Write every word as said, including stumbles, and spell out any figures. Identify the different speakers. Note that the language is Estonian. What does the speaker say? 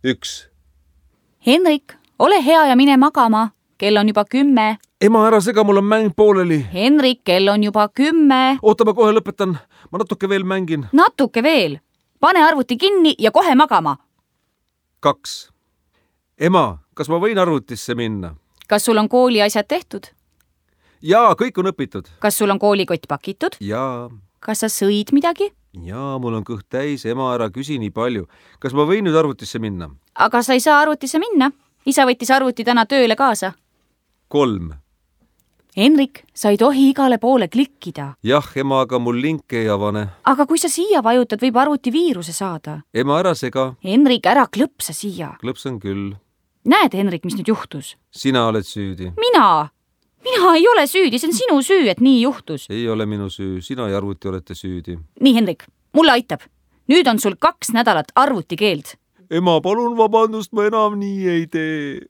Speaker 1: üks.
Speaker 2: Henrik, ole hea ja mine magama. Kell on juba kümme.
Speaker 1: Ema, ära sega, mul on mäng pooleli.
Speaker 2: Henrik, kell on juba kümme.
Speaker 1: Oota, ma kohe lõpetan. Ma natuke veel mängin.
Speaker 2: Natuke veel. Pane arvuti kinni ja kohe magama.
Speaker 1: Kaks. Ema, kas ma võin arvutisse minna?
Speaker 2: Kas sul on kooli asjad tehtud?
Speaker 1: Jaa, kõik on õpitud.
Speaker 2: Kas sul on koolikott pakitud?
Speaker 1: Jaa.
Speaker 2: Kas sa sõid midagi?
Speaker 1: Jaa, mul on kõht täis. Ema, ära küsi nii palju. Kas ma võin nüüd arvutisse minna?
Speaker 2: Aga sa ei saa arvutisse minna. Isa võttis arvuti täna tööle kaasa.
Speaker 1: Kolm.
Speaker 2: Henrik, sa ei tohi igale poole klikkida.
Speaker 1: Jah, ema, aga mul link ei avane.
Speaker 2: Aga kui sa siia vajutad, võib arvuti viiruse saada.
Speaker 1: Ema, ära sega.
Speaker 2: Henrik, ära klõpsa siia.
Speaker 1: Klõpsan küll.
Speaker 2: Näed, Henrik, mis nüüd juhtus?
Speaker 1: Sina oled süüdi.
Speaker 2: Mina? Mina ei ole süüdi, see on sinu süü, et nii juhtus.
Speaker 1: Ei ole minu süü, sina ja arvuti olete süüdi.
Speaker 2: Nii, Henrik, mulle aitab. Nüüd on sul kaks nädalat arvutikeeld.
Speaker 1: Ema, palun vabandust, ma enam nii ei tee.